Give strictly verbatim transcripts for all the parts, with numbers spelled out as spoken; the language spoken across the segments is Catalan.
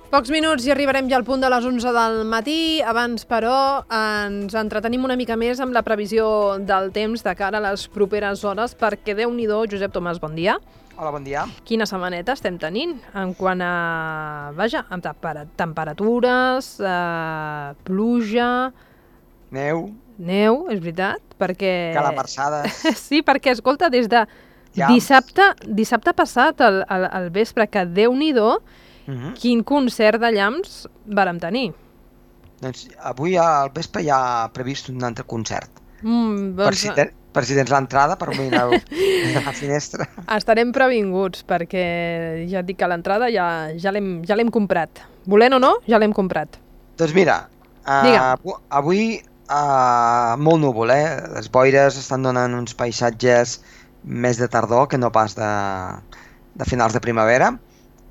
Pocs minuts i arribarem ja al punt de les onze del matí. Abans, però, ens entretenim una mica més amb la previsió del temps de cara a les properes hores, perquè Déu-n'hi-do, Josep Tomàs, bon dia. Hola, bon dia. Quina setmaneta estem tenint en quant a, vaja, amb temperatures, eh, pluja... Neu. Neu, és veritat, perquè... Calamarsades. Sí, perquè, escolta, des de Llamps. dissabte, dissabte passat, al, al, al vespre, que Déu-n'hi-do, Uh-huh. quin concert de llamps vàrem tenir. Doncs avui al vespre hi ha previst un altre concert. Mm, Per doncs, si, te, per si tens l'entrada, per mirar a la finestra. estarem previnguts, perquè ja et dic que l'entrada ja, ja l'hem ja l'hem comprat. Volent o no, ja l'hem comprat. Doncs mira, uh, avui uh, molt núvol, eh? Les boires estan donant uns paisatges més de tardor que no pas de, de finals de primavera.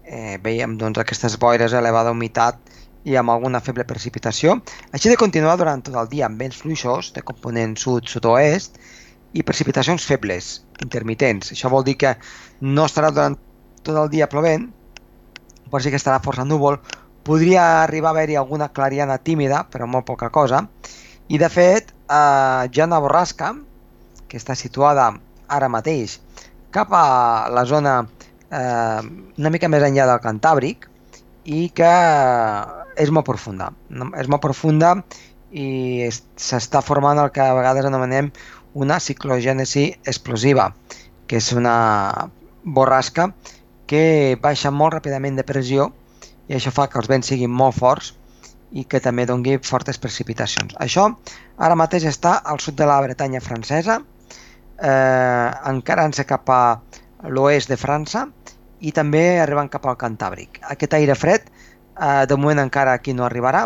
Eh, veiem doncs, aquestes boires, elevada humitat i amb alguna feble precipitació. Així de continuar durant tot el dia amb vents fluixos de component sud-sud-oest i precipitacions febles, intermitents. Això vol dir que no estarà durant tot el dia plovent, però sí que estarà força núvol. Podria arribar a haver-hi alguna clariana tímida, però molt poca cosa. I de fet, eh, hi ha una borrasca que està situada ara mateix cap a la zona Eh, una mica més enllà del Cantàbric i que és molt profunda. És molt profunda i s'està formant el que a vegades anomenem una ciclogènesi explosiva, que és una borrasca que baixa molt ràpidament de pressió i això fa que els vents siguin molt forts i que també doni fortes precipitacions. Això ara mateix està al sud de la Bretanya francesa, eh, encarant-se cap a l'oest de França i també arribant cap al Cantàbric. Aquest aire fred eh, de moment encara aquí no arribarà,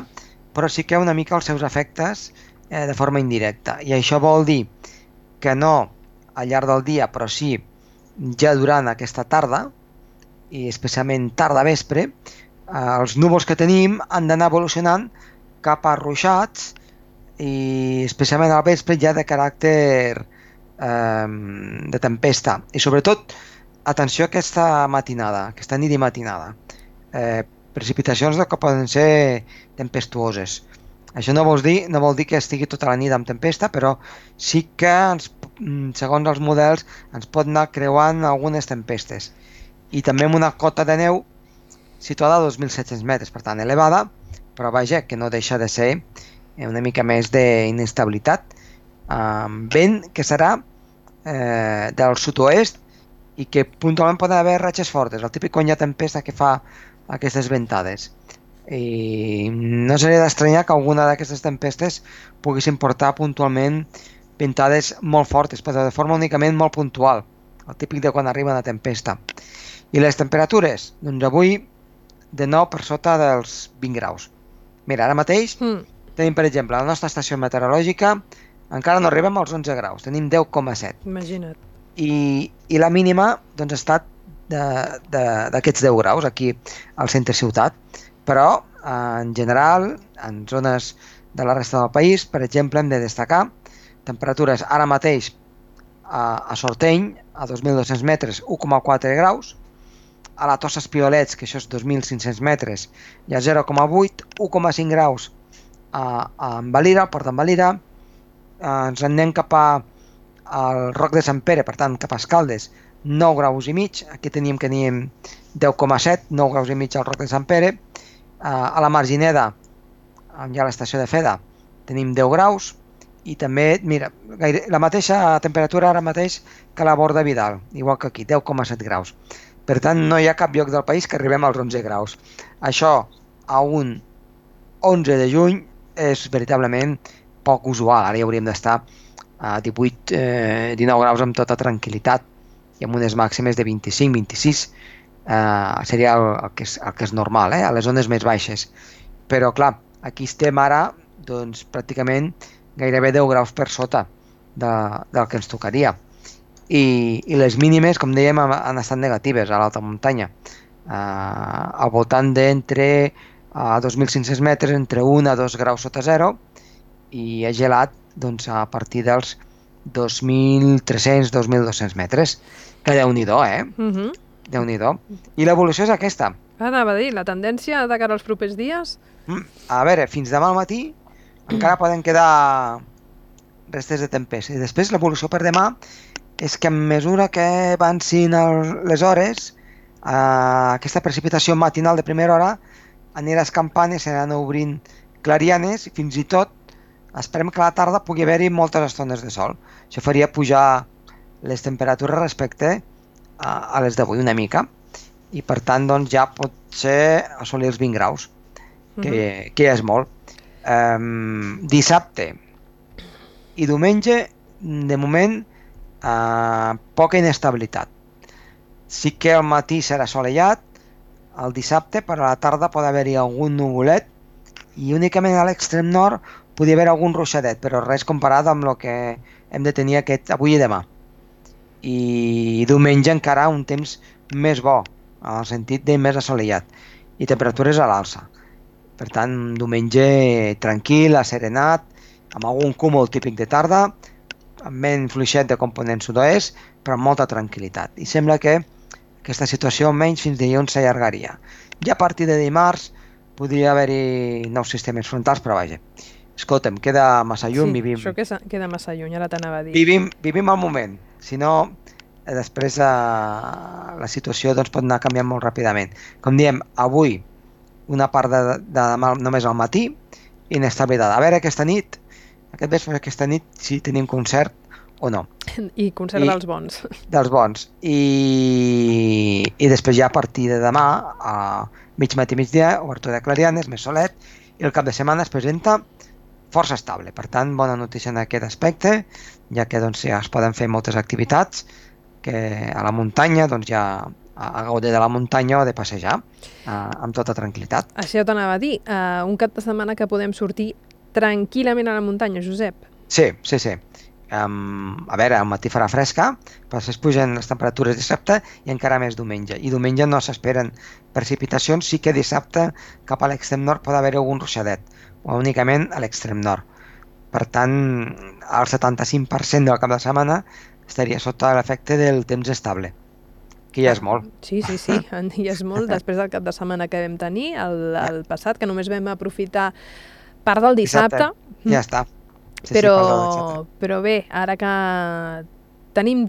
però sí que una mica els seus efectes eh, de forma indirecta. I això vol dir que no al llarg del dia, però sí ja durant aquesta tarda, i especialment tarda vespre, eh, els núvols que tenim han d'anar evolucionant cap a ruixats i especialment al vespre ja de caràcter de tempesta. I sobretot, atenció a aquesta matinada, aquesta nit i matinada. Eh, precipitacions que poden ser tempestuoses. Això no vol dir, no vol dir que estigui tota la nit amb tempesta, però sí que, ens, segons els models, ens pot anar creuant algunes tempestes. I també amb una cota de neu situada a dos mil set-cents metres, per tant elevada, però vaja, que no deixa de ser una mica més d'inestabilitat. Amb vent que serà eh, del sud-oest i que puntualment poden haver ratxes fortes, el típic quan hi ha tempesta que fa aquestes ventades. I no seria d'estranyar que alguna d'aquestes tempestes poguessin portar puntualment ventades molt fortes, però de forma únicament molt puntual, el típic de quan arriba una tempesta. I les temperatures? Doncs avui de nou per sota dels vint graus. Mira, ara mateix mm. tenim, per exemple, la nostra estació meteorològica encara no arribem als onze graus, tenim deu coma set. Imagina't. I, i la mínima doncs, ha estat d'aquests deu graus aquí al centre ciutat, però en general, en zones de la resta del país, per exemple, hem de destacar temperatures ara mateix a, a Sorteny, a dos mil dos-cents metres, u coma quatre graus, a la Tossa Espiolets, que això és dos mil cinc-cents metres, hi ha zero coma vuit, u coma cinc graus a, a Valira, al port d'en Valira, ens en anem cap a al Roc de Sant Pere, per tant cap a Escaldes, nou graus i mig, aquí teníem que teníem deu coma set, nou graus i mig al Roc de Sant Pere, a la Margineda, on hi ha l'estació de Feda, tenim deu graus, i també, mira, gaire, la mateixa temperatura ara mateix que a la Borda Vidal, igual que aquí, deu coma set graus. Per tant, no hi ha cap lloc del país que arribem als onze graus. Això, a un onze de juny, és veritablement poc usual. Ara ja hauríem d'estar a divuit dinou graus amb tota tranquil·litat i amb unes màximes de vint-i-cinc vint-i-sis. Eh, seria el, el, que és, el que és normal, eh? A les zones més baixes. Però, clar, aquí estem ara doncs, pràcticament gairebé deu graus per sota de, del que ens tocaria. I, i les mínimes, com dèiem, han estat negatives a l'alta muntanya. Eh, al voltant d'entre a dos mil cinc-cents metres, entre un a dos graus sota zero, i ha gelat doncs, a partir dels dos mil tres-cents a dos mil dos-cents metres. Que Déu-n'hi-do, eh? Uh-huh. Déu-n'hi-do. I l'evolució és aquesta. Anava a dir, la tendència de cara als propers dies... Mm, a veure, fins demà al matí encara poden quedar restes de tempesta. I després l'evolució per demà és que a mesura que avancin el, les hores, eh, aquesta precipitació matinal de primera hora anirà escampant i s'aniran obrint clarianes i fins i tot esperem que a la tarda pugui haver-hi moltes estones de sol. Això faria pujar les temperatures respecte a, a les d'avui una mica i per tant doncs, ja pot ser assolir els vint graus, que, uh-huh. que ja és molt. Um, dissabte i diumenge, de moment, uh, poca inestabilitat. Sí que al matí serà assolellat, el dissabte, però a la tarda pot haver-hi algun nuvolet i únicament a l'extrem nord podria haver algun ruixadet, però res comparat amb el que hem de tenir aquest avui i demà. I diumenge encara un temps més bo, en el sentit de més assolellat, i temperatures a l'alça. Per tant, un diumenge tranquil, asserenat, amb algun cúmul típic de tarda, amb vent fluixet de component sud-oest, però amb molta tranquil·litat. I sembla que aquesta situació almenys fins dilluns s'allargaria. Ja a partir de dimarts podria haver-hi nous sistemes frontals, però vaja. Escolta'm, queda massa lluny, sí, vivim... això queda, queda massa lluny, ara t'anava a dir. Vivim, vivim al moment, si no, després eh, la situació doncs, pot anar canviant molt ràpidament. Com diem, avui una part de, de demà només al matí, inestabilitat. A veure aquesta nit, aquest vespre aquesta nit, si tenim concert o no. I concert I, dels bons. Dels bons. I, i després ja a partir de demà, a mig matí, migdia, obertura de clarianes, més solet, i el cap de setmana es presenta força estable. Per tant, bona notícia en aquest aspecte, ja que doncs, ja es poden fer moltes activitats que a la muntanya, doncs ja a gaudir de la muntanya o de passejar eh, amb tota tranquil·litat. Això t'anava a dir, uh, un cap de setmana que podem sortir tranquil·lament a la muntanya, Josep. Sí, sí, sí. Um, a veure, al matí farà fresca, però després pugen les temperatures dissabte i encara més diumenge. I diumenge no s'esperen precipitacions, sí que dissabte cap a l'extrem nord pot haver algun ruixadet, o únicament a l'extrem nord. Per tant, el setanta-cinc per cent del cap de setmana estaria sota l'efecte del temps estable, que ja és molt. Sí, sí, sí, ja és molt després del cap de setmana que vam tenir, el, el passat, que només vam aprofitar part del dissabte. dissabte. Ja està. Sí, però, sí, però bé, ara que tenim,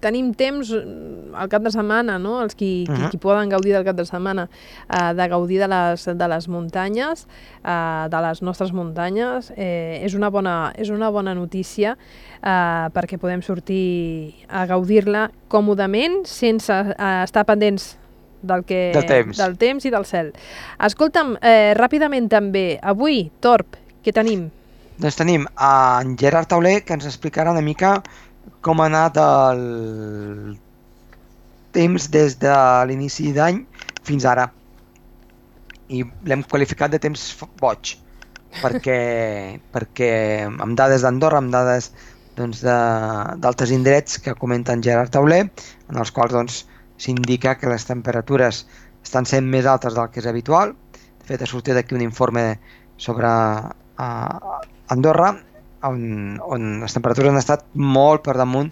tenim temps al cap de setmana, no? Els qui, uh-huh. qui, qui poden gaudir del cap de setmana, uh, de gaudir de les, de les muntanyes, uh, de les nostres muntanyes, eh, és, una bona, és una bona notícia uh, perquè podem sortir a gaudir-la còmodament sense uh, estar pendents del, que, del, temps. del temps i del cel. Escolta'm, eh, ràpidament també, avui, Torb, què tenim? Doncs tenim en Gerard Tauler, que ens explicarà una mica com ha anat el temps des de l'inici d'any fins ara. I l'hem qualificat de temps boig, perquè, perquè amb dades d'Andorra, amb dades doncs, d'altres indrets que comenten Gerard Tauler, en els quals doncs, s'indica que les temperatures estan sent més altes del que és habitual. De fet, ha sortit aquí un informe sobre uh, Andorra, on, on les temperatures han estat molt per damunt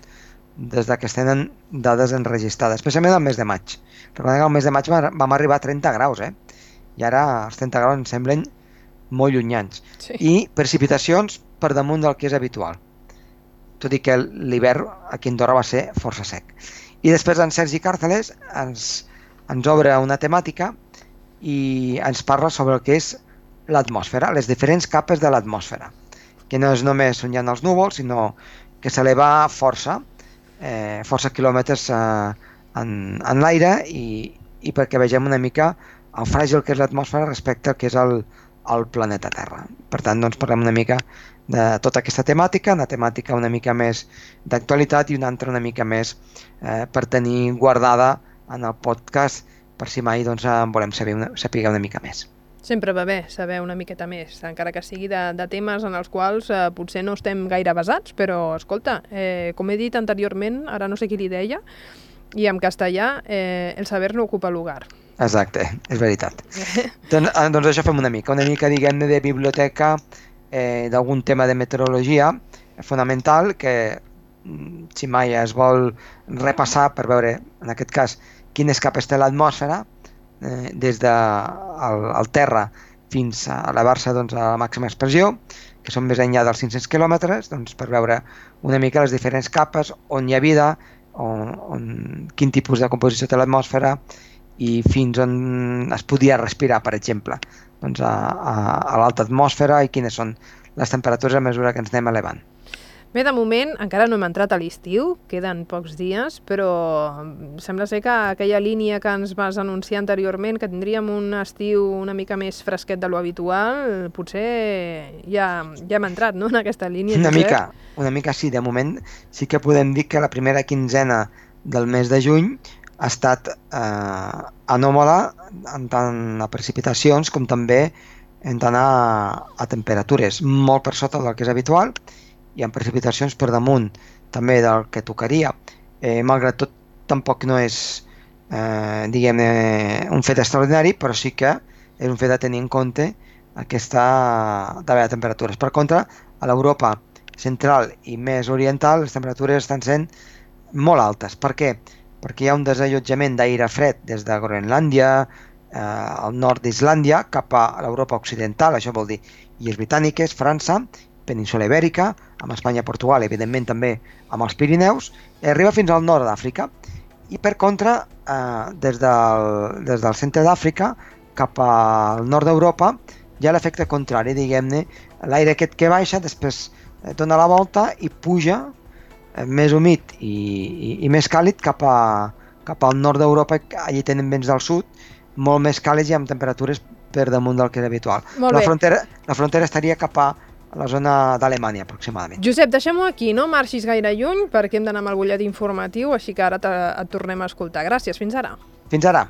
des que es tenen dades enregistrades, especialment el mes de maig. Recordem que el mes de maig vam arribar a trenta graus, eh? I ara els trenta graus ens semblen molt llunyans. Sí. I precipitacions per damunt del que és habitual, tot i que l'hivern aquí a Andorra va ser força sec. I després en Sergi Càrceles ens, ens obre una temàtica i ens parla sobre el que és l'atmosfera, les diferents capes de l'atmosfera, que no és només on hi ha els núvols, sinó que s'eleva força, eh, força quilòmetres eh, en, en l'aire i, i perquè vegem una mica el fràgil que és l'atmosfera respecte al que és el, el planeta Terra. Per tant, doncs, parlem una mica de tota aquesta temàtica, una temàtica una mica més d'actualitat i una altra una mica més eh, per tenir guardada en el podcast per si mai doncs, en volem saber una, saber una mica més. Sempre va bé saber una miqueta més, encara que sigui de, de temes en els quals eh, potser no estem gaire basats, però escolta, eh, com he dit anteriorment, ara no sé qui li deia, i en castellà eh, el saber no ocupa lugar. Exacte, és veritat. doncs, doncs això fem una mica, una mica diguem-ne de biblioteca eh, d'algun tema de meteorologia fonamental que si mai es vol repassar per veure, en aquest cas, quines capes té l'atmosfera eh, des del el terra fins a elevar-se doncs, a la màxima expressió, que són més enllà dels cinc-cents quilòmetres, doncs, per veure una mica les diferents capes, on hi ha vida, on, on, quin tipus de composició té l'atmosfera i fins on es podia respirar, per exemple, doncs, a, a, a l'alta atmosfera i quines són les temperatures a mesura que ens anem elevant. Bé, de moment encara no hem entrat a l'estiu, queden pocs dies, però sembla ser que aquella línia que ens vas anunciar anteriorment, que tindríem un estiu una mica més fresquet de lo habitual, potser ja, ja hem entrat, no?, en aquesta línia. Una mica, una mica sí, de moment sí que podem dir que la primera quinzena del mes de juny ha estat eh, anòmala en tant a precipitacions com també en tant a, a temperatures, molt per sota del que és habitual, i amb precipitacions per damunt també del que tocaria. Eh, malgrat tot, tampoc no és eh, diguem-ne un fet extraordinari, però sí que és un fet de tenir en compte aquesta davall de temperatures. Per contra, a l'Europa central i més oriental les temperatures estan sent molt altes. Per què? Perquè hi ha un desallotjament d'aire fred des de Groenlàndia, eh, al nord d'Islàndia, cap a l'Europa occidental, això vol dir Illes Britàniques, França, península Ibèrica, amb Espanya i Portugal, evidentment també amb els Pirineus, i arriba fins al nord d'Àfrica. I per contra, eh, des, del, des del centre d'Àfrica cap al nord d'Europa, hi ha l'efecte contrari, diguem-ne, l'aire aquest que baixa, després dona la volta i puja eh, més humit i, i, i més càlid cap, a, cap al nord d'Europa, allí tenen vents del sud, molt més càlids i amb temperatures per damunt del que és habitual. La frontera, la frontera estaria cap a a la zona d'Alemanya, aproximadament. Josep, deixem-ho aquí, no marxis gaire lluny, perquè hem d'anar amb el butlletí informatiu, així que ara et tornem a escoltar. Gràcies, fins ara. Fins ara.